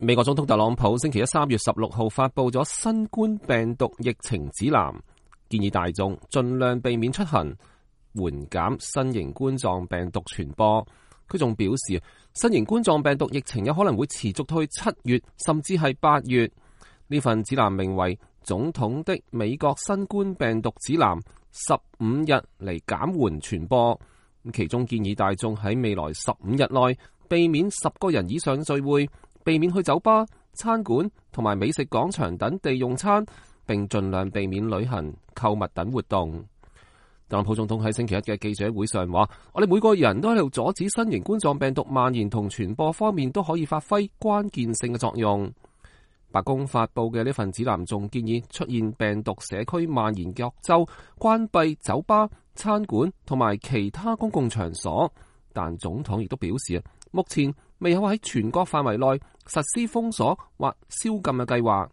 美國總統特朗普星期一3月16號發佈咗新冠病毒疫情指南，建議大眾盡量避免出行，緩減新型冠狀病毒傳播。佢仲表示，新型冠狀病毒疫情有可能會持續到去7月，甚至係8月。呢份指南名為《總統的美國新冠病毒指南》，15日嚟減緩傳播。其中建議大眾喺未來15日內避免10個人以上聚會，避免去酒吧、餐館同埋美食廣場等地用餐，並盡量避免旅行、購物等活動。特朗普總統喺星期一嘅記者會上話：我哋每個人都喺度阻止新型冠狀病毒蔓延同傳播方面都可以發揮關鍵性嘅作用。白宮發佈嘅呢份指南仲建議出現病毒社區蔓延各州關閉酒吧、餐館同埋其他公共場所，但總統亦都表示目前未有喺全國範圍內實施封鎖或宵禁嘅計劃。